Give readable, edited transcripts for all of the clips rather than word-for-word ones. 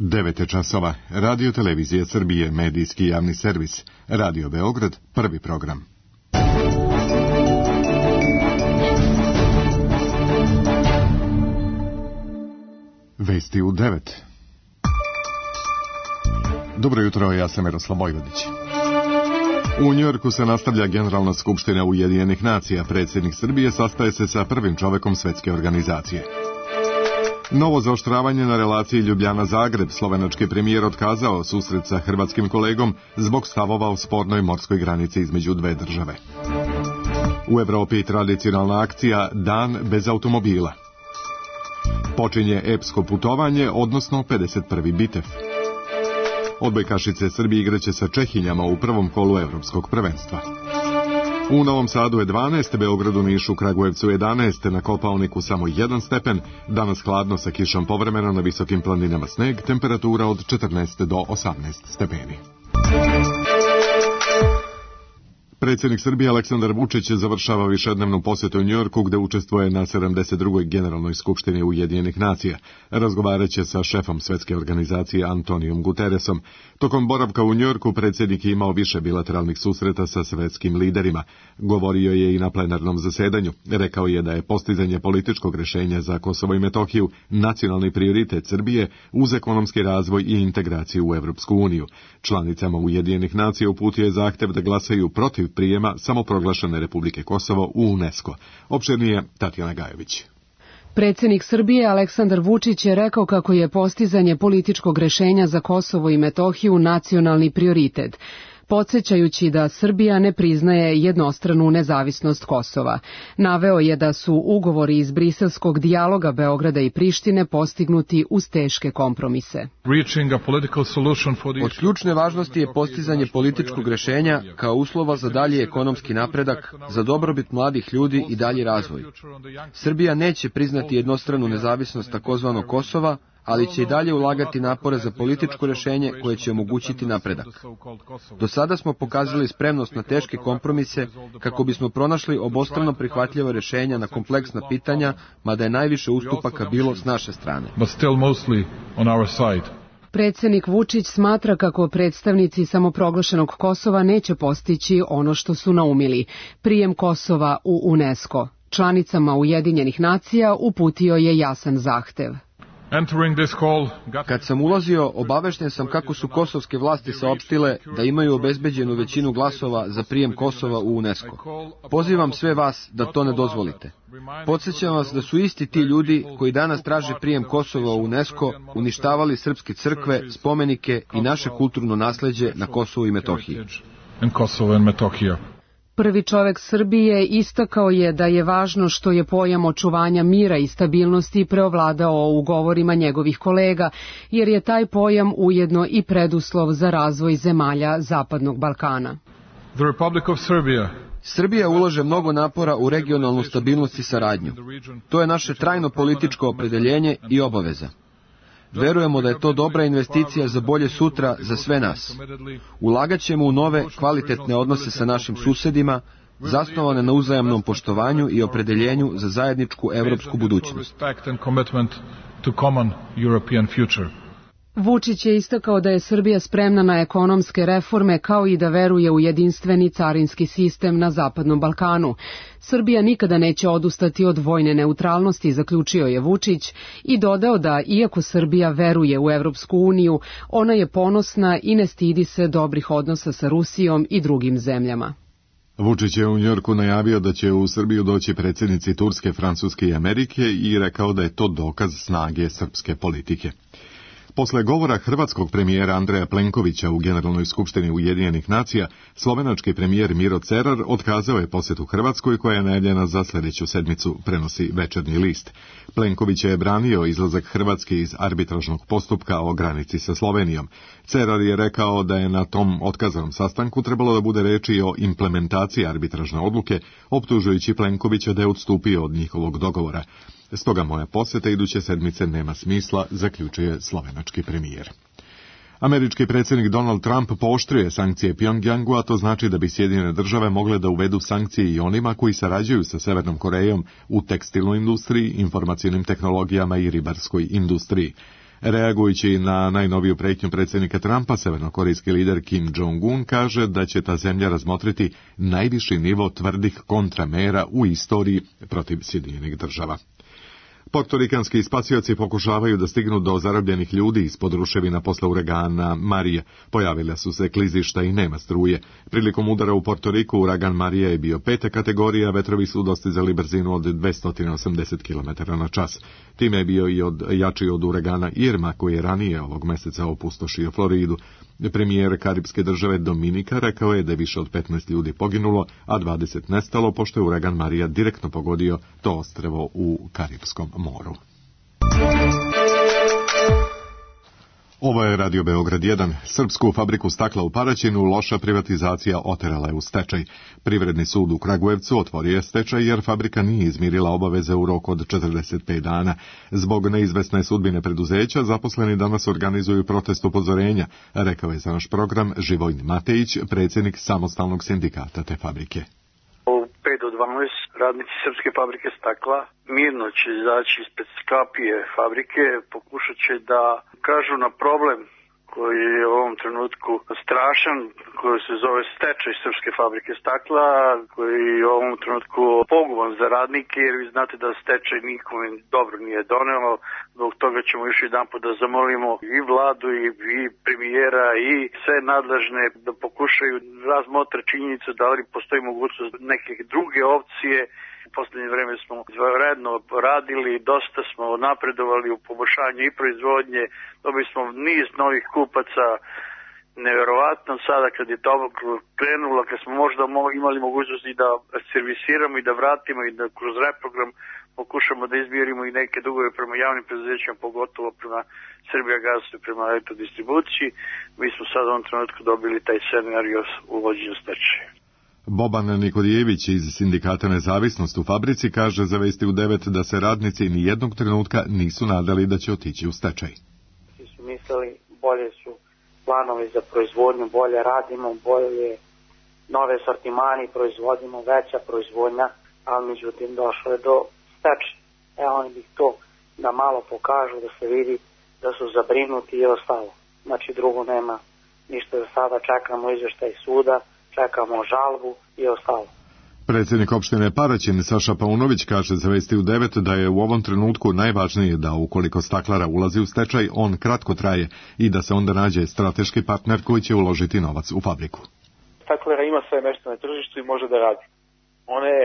9 časova. Radio Televizije Srbije, medijski javni servis. Radio Beograd, prvi program. Vesti u 9. Dobro jutro, ja sam Miroslav Vojvodić. U Njujorku se nastavlja Generalna skupština Ujedinjenih nacija. Predsjednik Srbije sastaje se sa prvim čovekom Svetske organizacije. Novo zaoštravanje na relaciji Ljubljana-Zagreb. Slovenački premijer otkazao susret sa hrvatskim kolegom zbog stavova o spornoj morskoj granici između dve države. U Evropi tradicionalna akcija Dan bez automobila. Počinje epsko putovanje, odnosno 51. bitev. Odbojkašice Srbije igraće sa Čehinjama u prvom kolu evropskog prvenstva. U Novom Sadu je 12, Beogradu, Nišu, Kragujevcu 11, na Kopaoniku samo 1 stepen, danas hladno sa kišom povremeno, na visokim planinama sneg, temperatura od 14 do 18 stepeni. Predsjednik Srbije Aleksandar Vučić završava višednevnu posjetu u Njujorku, gde učestvuje na 72. Generalnoj skupštini Ujedinjenih nacija. Razgovaraće sa šefom Svetske organizacije Antonijom Guterresom. Tokom boravka u Njujorku predsjednik je imao više bilateralnih susreta sa svetskim liderima. Govorio je i na plenarnom zasedanju. Rekao je da je postizanje političkog rješenja za Kosovo i Metohiju nacionalni prioritet Srbije uz ekonomski razvoj i integraciju u Evropsku uniju. Članicama Ujedinjenih nacija uputio je zahtev da glasaju protiv prijema samoproglašene Republike Kosovo u UNESCO. Opširnije Tatjana Gajović. Predsjednik Srbije Aleksandar Vučić je rekao kako je postizanje političkog rješenja za Kosovo i Metohiju nacionalni prioritet, podsjećajući da Srbija ne priznaje jednostranu nezavisnost Kosova. Naveo je da su ugovori iz briselskog dijaloga Beograda i Prištine postignuti uz teške kompromise. Od ključne važnosti je postizanje političkog rješenja kao uslova za dalji ekonomski napredak, za dobrobit mladih ljudi i dalji razvoj. Srbija neće priznati jednostranu nezavisnost takozvanog Kosova, ali će i dalje ulagati napore za političko rješenje koje će omogućiti napredak. Do sada smo pokazali spremnost na teške kompromise kako bismo pronašli obostrano prihvatljiva rješenja na kompleksna pitanja, mada je najviše ustupaka bilo s naše strane. Predsjednik Vučić smatra kako predstavnici samoproglašenog Kosova neće postići ono što su naumili, prijem Kosova u UNESCO. Članicama Ujedinjenih nacija uputio je jasan zahtev. Kad sam ulazio, obavešten sam kako su kosovske vlasti saopštile da imaju obezbeđenu većinu glasova za prijem Kosova u UNESCO. Pozivam sve vas da to ne dozvolite. Podsjećam vas da su isti ti ljudi koji danas traže prijem Kosova u UNESCO uništavali srpske crkve, spomenike i naše kulturno nasleđe na Kosovu i Metohiji. Prvi čovek Srbije istakao je da je važno što je pojam očuvanja mira i stabilnosti preovladao u govorima njegovih kolega, jer je taj pojam ujedno i preduslov za razvoj zemalja Zapadnog Balkana. Srbija ulaže mnogo napora u regionalnu stabilnost i saradnju. To je naše trajno političko opredeljenje i obaveza. Verujemo da je to dobra investicija za bolje sutra za sve nas. Ulagat ćemo u nove, kvalitetne odnose sa našim susedima, zasnovane na uzajamnom poštovanju i opredeljenju za zajedničku evropsku budućnost. Vučić je istakao da je Srbija spremna na ekonomske reforme kao i da veruje u jedinstveni carinski sistem na Zapadnom Balkanu. Srbija nikada neće odustati od vojne neutralnosti, zaključio je Vučić i dodao da, iako Srbija veruje u Evropsku uniju, ona je ponosna i ne stidi se dobrih odnosa sa Rusijom i drugim zemljama. Vučić je u Njujorku najavio da će u Srbiju doći predsjednici Turske, Francuske i Amerike i rekao da je to dokaz snage srpske politike. Posle govora hrvatskog premijera Andreja Plenkovića u Generalnoj skupštini Ujedinjenih nacija, slovenački premijer Miro Cerar otkazao je posjetu Hrvatskoj koja je najavljena za sljedeću sedmicu, prenosi Večernji list. Plenković je branio izlazak Hrvatske iz arbitražnog postupka o granici sa Slovenijom. Cerar je rekao da je na tom otkazanom sastanku trebalo da bude reči o implementaciji arbitražne odluke, optužujući Plenkovića da je odstupio od njihovog dogovora. Stoga moja posjeta iduće sedmice nema smisla, zaključuje slovenački premijer. Američki predsjednik Donald Trump pooštrio sankcije Pjongjangu, a to znači da bi Sjedinjene države mogle da uvedu sankcije i onima koji sarađuju sa Severnom Korejom u tekstilnoj industriji, informacijnim tehnologijama i ribarskoj industriji. Reagujući na najnoviju prijetnju predsjednika Trumpa, severnokorejski lider Kim Jong-un kaže da će ta zemlja razmotriti najviši nivo tvrdih kontramera u istoriji protiv Sjedinjenih država. Portorikanski spasioci pokušavaju da stignu do zarobljenih ljudi ispod ruševina posle uragana Marija. Pojavila su se klizišta i nema struje. Prilikom udara u Portoriku uragan Marija je bio 5. kategorija, vetrovi su dostizali brzinu od 280 km/h. Time je bio i jači od uragana Irma, koji je ranije ovog meseca opustošio Floridu. Premijer karipske države Dominika rekao je da je više od 15 ljudi poginulo, a 20 nestalo, pošto je uragan Marija direktno pogodio to ostrvo u Karipskom moru. Ovo je Radio Beograd 1. Srpsku fabriku stakla u Paraćinu loša privatizacija oterala je u stečaj. Privredni sud u Kragujevcu otvorio je stečaj jer fabrika nije izmirila obaveze u roku od 45 dana. Zbog neizvesne sudbine preduzeća zaposleni danas organizuju protest upozorenja, rekao je za naš program Živojin Matejić, predsjednik samostalnog sindikata te fabrike. 5 do 12 radnici Srpske fabrike stakla mirno će izaći ispred kapije fabrike, pokušat će da kažu na problem koji je u ovom trenutku strašan, koji se zove stečaj Srpske fabrike stakla, koji je u ovom trenutku poguban za radnike, jer vi znate da stečaj nikome dobro nije donelo. Zbog toga ćemo još jedan put da zamolimo i vladu i premijera i sve nadležne da pokušaju razmotre činjenicu da li postoji mogućnost neke druge opcije. U posljednje vreme smo izvanredno radili, dosta smo napredovali u poboljšanju i proizvodnje, dobili smo niz novih kupaca, neverovatno sada kad je to krenulo, kad smo možda imali mogućnosti da servisiramo i da vratimo i da kroz reprogram pokušamo da izmirimo i neke dugove prema javnim preduzećima, pogotovo prema Srbijagasu i prema Elektrodistribuciji. Mi smo sad u ovom trenutku dobili taj scenario uvođenja stečaja. Boban Nikodijević iz Sindikata Nezavisnost u fabrici kaže za Vesti u 9 da se radnici ni jednog trenutka nisu nadali da će otići u stečaj. Svi su mislili bolje su planovi za proizvodnju, bolje radimo, bolje nove sortimani proizvodimo, veća proizvodnja, ali međutim došlo je do stečaja. Oni bi to da malo pokažu, da se vidi da su zabrinuti i ostalo. Znači drugo nema ništa za sada, čekamo izveštaj suda, čekamo žalbu i ostalo. Predsjednik opštine Paraćin Saša Paunović kaže za Vesti u 9 da je u ovom trenutku najvažnije da ukoliko staklara ulazi u stečaj, on kratko traje i da se onda nađe strateški partner koji će uložiti novac u fabriku. Staklara ima sve mjesto na tržištu i može da radi. Ona je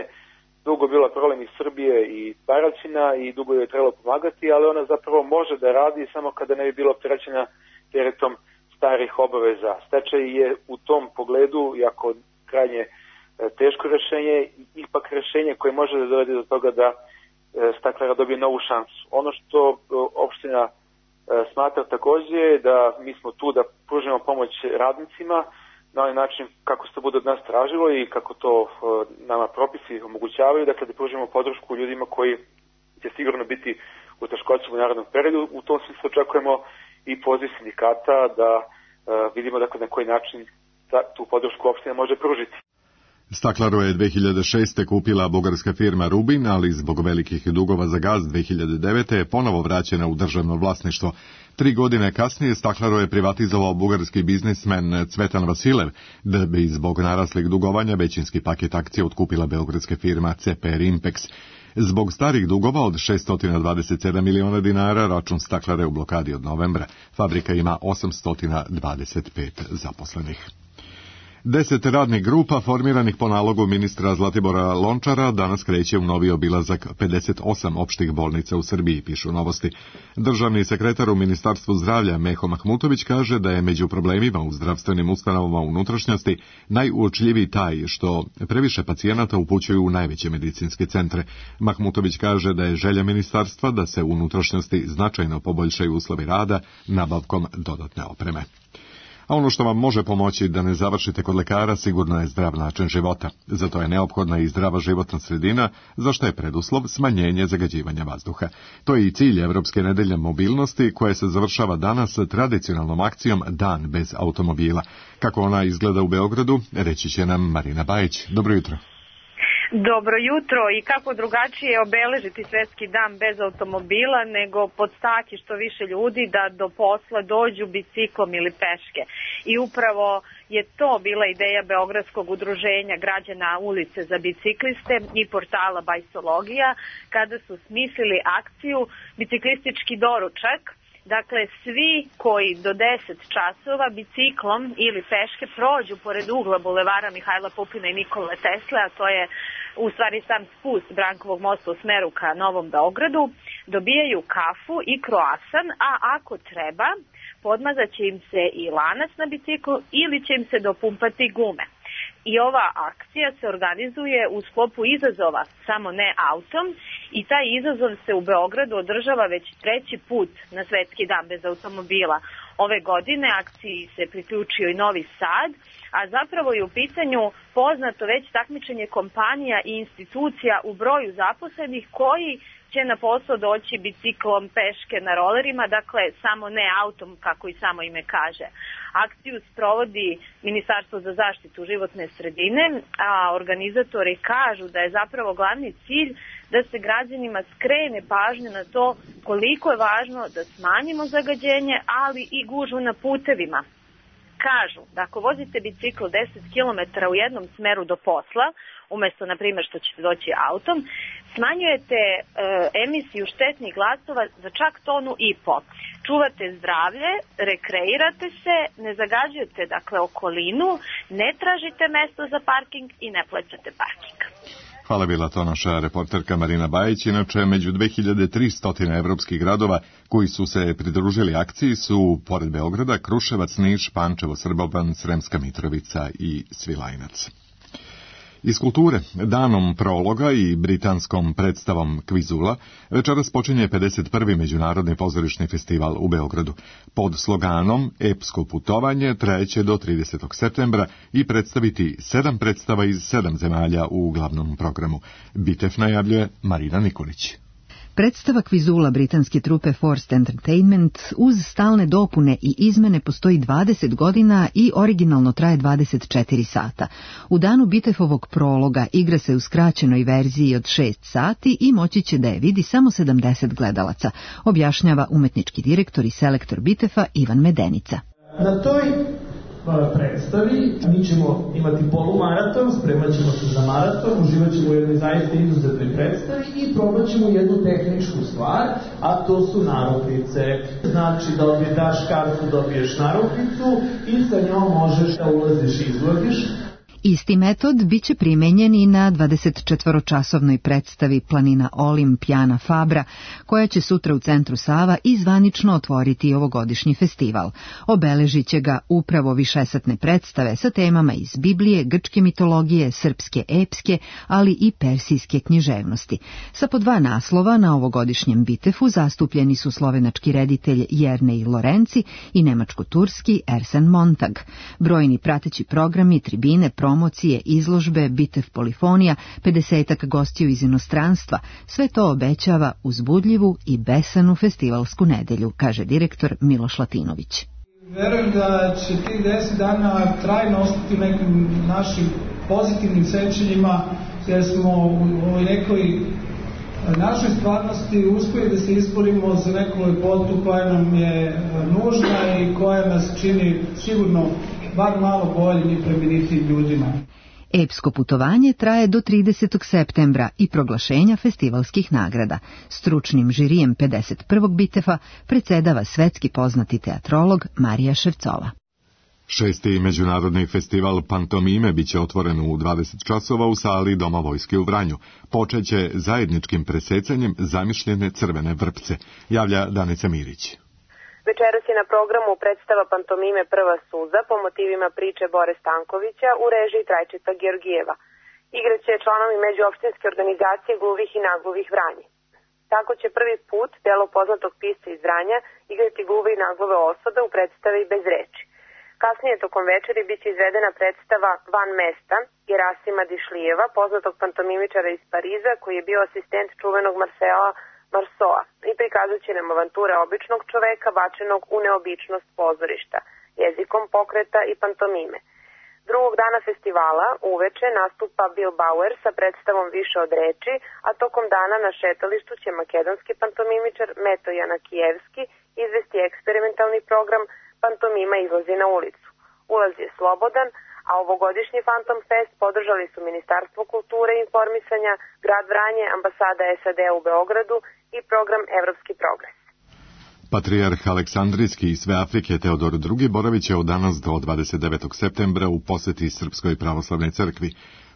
dugo bila problem iz Srbije i Paraćina i dugo je trebalo pomagati, ali ona zapravo može da radi samo kada ne bi bila opterećena teretom starih obaveza. Stečaj je u tom pogledu jako krajnje teško rješenje, ipak rješenje koje može da dovede do toga da staklara dobije novu šansu. Ono što opština smatra također je da mi smo tu da pružimo pomoć radnicima na onaj način kako se to bude od nas tražilo i kako to nama propisi omogućavaju, dakle da pružimo podršku ljudima koji će sigurno biti u teškoćama u narednom periodu. U tom smislu očekujemo i poziv sindikata da vidimo dakle na koji način tu podršku opština može pružiti. Staklaru je 2006. kupila bugarska firma Rubin, ali zbog velikih dugova za gaz 2009. je ponovo vraćena u državno vlasništvo. 3 godine kasnije Staklaru je privatizovao bugarski biznismen Cvetan Vasilev, da bi zbog naraslih dugovanja većinski paket akcija otkupila beogradska firma CPR Impex. Zbog starih dugova od 627 miliona dinara račun Staklara je u blokadi od novembra. Fabrika ima 825 zaposlenih. 10 radnih grupa formiranih po nalogu ministra Zlatibora Lončara danas kreće u novi obilazak 58 opštih bolnica u Srbiji, pišu Novosti. Državni sekretar u Ministarstvu zdravlja Meho Mahmutović kaže da je među problemima u zdravstvenim ustanovama unutrašnjosti najuočljiviji taj što previše pacijenata upućuju u najveće medicinske centre. Mahmutović kaže da je želja ministarstva da se u unutrašnjosti značajno poboljšaju uslovi rada nabavkom dodatne opreme. A ono što vam može pomoći da ne završite kod lekara sigurno je zdrav način života. Zato je neophodna i zdrava životna sredina, za što je preduslov smanjenje zagađivanja vazduha. To je i cilj Evropske nedelje mobilnosti, koja se završava danas tradicionalnom akcijom Dan bez automobila. Kako ona izgleda u Beogradu, reći će nam Marina Bajić. Dobro jutro. Dobro jutro, i kako drugačije obeležiti svetski dan bez automobila nego podstaki što više ljudi da do posla dođu biciklom ili peške. I upravo je to bila ideja Beogradskog udruženja građana ulice za bicikliste i portala Bajsologija kada su smislili akciju Biciklistički doručak. Dakle, svi koji do 10 časova biciklom ili peške prođu pored ugla bulevara Mihajla Pupina i Nikole Tesle, a to je u stvari sam spust Brankovog mosta u smeru ka Novom Beogradu, dobijaju kafu i kroasan, a ako treba, podmazat će im se i lanac na biciklu ili će im se dopumpati gume. I ova akcija se organizuje u sklopu izazova Samo ne autom i taj izazov se u Beogradu održava već 3. put na Svetski dan bez automobila. Ove godine akciji se priključio i Novi Sad, a zapravo je u pitanju poznato već takmičenje kompanija i institucija u broju zaposlenih koji će na posao doći biciklom, peške, na rolerima, dakle samo ne autom, kako i samo ime kaže. Akciju sprovodi Ministarstvo za zaštitu životne sredine, a organizatori kažu da je zapravo glavni cilj da se građanima skrene pažnja na to koliko je važno da smanjimo zagađenje, ali i gužvu na putevima. Kažu da ako vozite bicikl 10 km u jednom smeru do posla, umesto, na primjer, što ćete doći autom, smanjujete emisiju štetnih glasova za čak 1,5 tonu. Čuvate zdravlje, rekreirate se, ne zagađujete, dakle, okolinu, ne tražite mesto za parking i ne plaćate parking. Hvala, bila to naša reporterka Marina Bajić. Inače, među 2300 evropskih gradova koji su se pridružili akciji su, pored Beograda, Kruševac, Niš, Pančevo, Srboban, Sremska Mitrovica i Svilajnac. Iz kulture, danom prologa i britanskom predstavom Kvizula, večeras počinje 51. Međunarodni pozorišni festival u Beogradu. Pod sloganom Epsko putovanje trajeće do 30. septembra i predstaviti 7 predstava iz 7 zemalja u glavnom programu. Bitev najavljuje Marina Nikolić. Predstava Kvizula britanske trupe Forced Entertainment uz stalne dopune i izmene postoji 20 godina i originalno traje 24 sata. U danu Bitefovog prologa igra se u skraćenoj verziji od 6 sati i moći će da je vidi samo 70 gledalaca, objašnjava umetnički direktor i selektor Bitefa Ivan Medenica. Na toj predstavi mi ćemo imati polumaraton, spremat ćemo se za maraton, uživat ćemo u jednoj zaista izuzetnoj predstavi i probat ćemo jednu tehničku stvar, a to su narukvice. Znači da daš kartu, dobiješ narukvicu i sa njom možeš da ulaziš i izlaziš. Isti metod biće primenjen i na 24-časovnoj predstavi Planina Olimp Jana Fabra, koja će sutra u centru Sava i zvanično otvoriti ovogodišnji festival. Obeležit će ga upravo višesatne predstave sa temama iz Biblije, grčke mitologije, srpske epske, ali i persijske književnosti. Sa po 2 naslova na ovogodišnjem Bitefu zastupljeni su slovenački reditelj Jernej Lorenci i nemačko-turski Ersen Montag. Brojni prateći programi, tribine, promocije, izložbe, Bitev polifonija, 50-ak gostiju iz inostranstva, sve to obećava uzbudljivu i besanu festivalsku nedelju, kaže direktor Miloš Latinović. Verujem da će tih 10 dana trajno ostati nekim našim pozitivnim sećanjima, jer smo u ovoj nekoj našoj stvarnosti uspjeli da se izborimo za neku lepotu koja nam je nužna i koja nas čini sigurno bar malo boljim i plemenitim ljudima. Epsko putovanje traje do 30. septembra i proglašenja festivalskih nagrada. Stručnim žirijem 51. Bitefa predsedava svetski poznati teatrolog Marija Ševcova. 6. međunarodni festival Pantomime biće otvoren u 20 časova u sali Doma vojske u Vranju. Počeće zajedničkim presecanjem zamišljene crvene vrpce, javlja Danica Mirić. Večeras je na programu predstava Pantomime Prva suza po motivima priče Bore Stankovića u režiji Trajčeta Georgijeva. Igraće članovi međuopštinske organizacije gluvih i nagluvih Vranje. Tako će prvi put delo poznatog pisca iz Vranja igrati gluve i naglove osobe u predstavi Bez reči. Kasnije tokom večeri biće izvedena predstava Van mesta Gerasima Dišlijeva, poznatog pantomimičara iz Pariza koji je bio asistent čuvenog Marcela Marceau i prikazat će nam avanture običnog čoveka bačenog u neobičnost pozorišta, jezikom pokreta i pantomime. Drugog dana festivala uveče nastupa Bill Bauer sa predstavom Više od reči, a tokom dana na šetalištu će makedonski pantomimičar Meto Janakijevski izvesti eksperimentalni program Pantomima izlazi na ulicu. Ulaz je slobodan, a ovogodišnji Phantom Fest podržali su Ministarstvo kulture i informisanja, grad Vranje, ambasada SAD u Beogradu i program Evropski progres. Patrijarh Aleksandrijski iz sve Afrike Teodor II boravit će od danas do 29. septembra u poseti Srpskoj pravoslavnoj crkvi.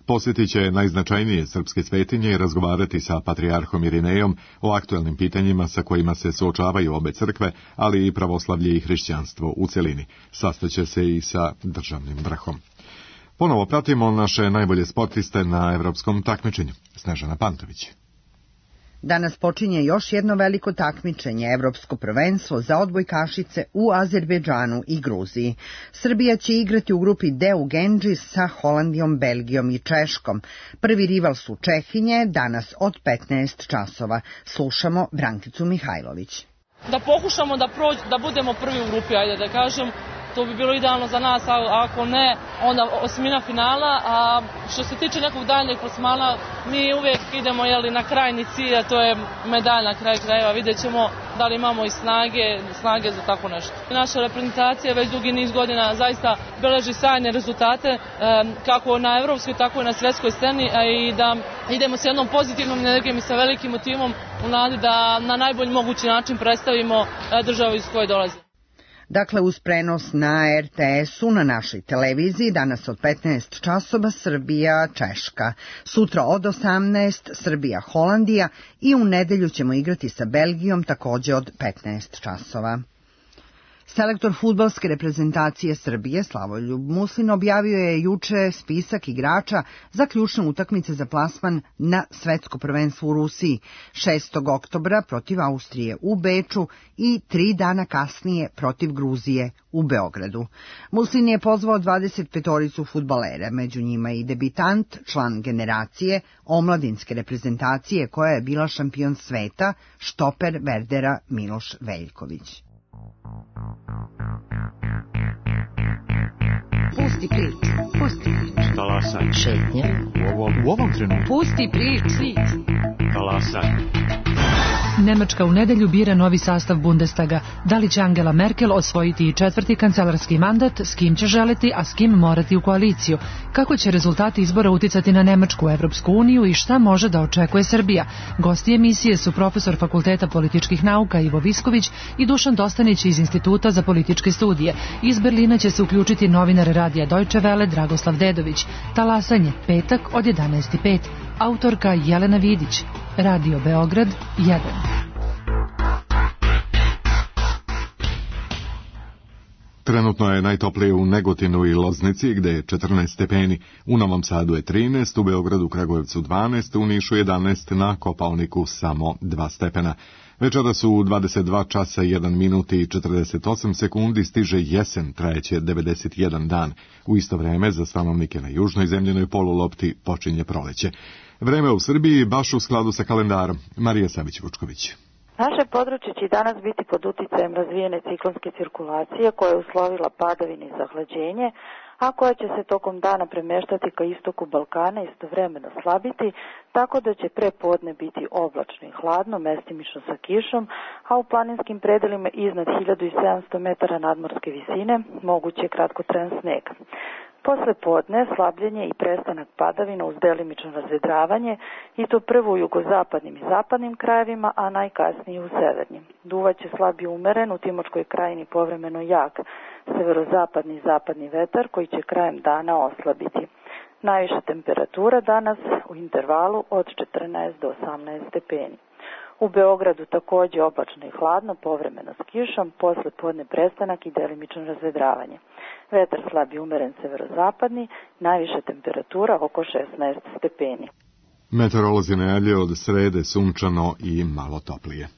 Posjetit će najznačajnije srpske svetinje i razgovarati sa patrijarhom Irinejom o aktuelnim pitanjima sa kojima se suočavaju obe crkve, ali i pravoslavlje i hrišćanstvo u celini. Sastaće se i sa državnim vrhom. Ponovo pratimo naše najbolje sportiste na evropskom takmičenju. Snežana Pantović. Danas počinje još jedno veliko takmičenje, evropsko prvenstvo za odbojkašice u Azerbejdžanu i Gruziji. Srbija će igrati u grupi D u Gendži sa Holandijom, Belgijom i Češkom. Prvi rival su Čehinje, danas od 15 časova. Slušamo Brankicu Mihajlović. Da pokušamo da budemo prvi u grupi, ajde da kažem. To bi bilo idealno za nas, a ako ne, onda osmina finala, a što se tiče nekog daljnjeg plasmana, mi uvijek idemo na krajni cilj, a to je medalj na kraju krajeva. Vidjet ćemo da li imamo i snage za tako nešto. Naša reprezentacija već dugi niz godina zaista beleži sjajne rezultate, kako na evropskoj, tako i na svjetskoj sceni, a i da idemo s jednom pozitivnom energijom i sa velikim motivom u nadi da na najbolji mogući način predstavimo državu iz koje dolazi. Dakle, uz prenos na RTS-u na našoj televiziji, danas od 15 časova Srbija-Češka, sutra od 18 Srbija-Holandija i u nedelju ćemo igrati sa Belgijom također od 15 časova. Selektor fudbalske reprezentacije Srbije Slavoljub Muslin objavio je juče spisak igrača za ključne utakmice za plasman na svetsko prvenstvo u Rusiji 6. oktobra protiv Austrije u Beču i 3 dana kasnije protiv Gruzije u Beogradu. Muslin je pozvao 25 fudbalera, među njima i debitant, član generacije omladinske reprezentacije koja je bila šampion sveta, štoper Verdera Miloš Veljković. Pusti priču. Talasaj. Šetnja. U ovom trenutku. Pusti priču. Talasaj. Nemačka u nedelju bira novi sastav Bundestaga. Da li će Angela Merkel osvojiti i 4. kancelarski mandat, s kim će želiti, a s kim morati u koaliciju? Kako će rezultati izbora uticati na Nemačku, Evropsku uniju i šta može da očekuje Srbija? Gosti emisije su profesor Fakulteta političkih nauka Ivo Visković i Dušan Dostanić iz Instituta za političke studije. Iz Berlina će se uključiti novinar radija Deutsche Welle Dragoslav Dedović. Talasanje, petak od 11:05. Autorka Jelena Vidić. Radio Beograd 1. Trenutno je najtoplije u Negotinu i Loznici, gde je 14 stepeni. U Novom Sadu je 13, u Beogradu, Kragujevcu 12, u Nišu 11, na Kopaoniku samo 2 stepena. Večeras u 22 časa 1 minut i 48 sekundi stiže jesen, trajeće 91 dan. U isto vreme za stanovnike na južnoj zemljenoj polulopti počinje proleće. Vreme u Srbiji baš u skladu sa kalendarom. Marija Savić-Vučković. Naše područje će danas biti pod uticajem razvijene ciklonske cirkulacije koja je uslovila padavine i zahlađenje, a koja će se tokom dana premeštati ka istoku Balkana i istovremeno slabiti, tako da će prepodne biti oblačno i hladno, mestimično sa kišom, a u planinskim predelima iznad 1700 metara nadmorske visine moguće je kratkotrajan sneg. Posle podne slabljenje i prestanak padavina uz delimično razvedravanje i to prvo u jugozapadnim i zapadnim krajevima, a najkasnije u severnim. Duvaće slab i umeren, u Timočkoj krajini povremeno jak severozapadni i zapadni vetar koji će krajem dana oslabiti. Najviša temperatura danas u intervalu od 14 do 18 stepeni. U Beogradu također oblačno i hladno, povremeno s kišom, posle podne prestanak i delimično razvedravanje. Vetar slab i umeren severozapadni, najviša temperatura oko 16 stepeni. Meteorolozi najavljuju od srede sunčano i malo toplije.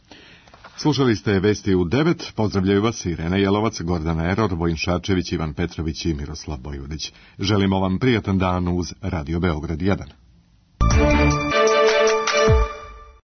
Slušali ste vesti u 9, pozdravljaju vas Irena Jelovac, Gordana Eror, Vojin Šarčević, Ivan Petrović i Miroslav Bojurić. Želimo vam prijatan dan uz Radio Beograd 1.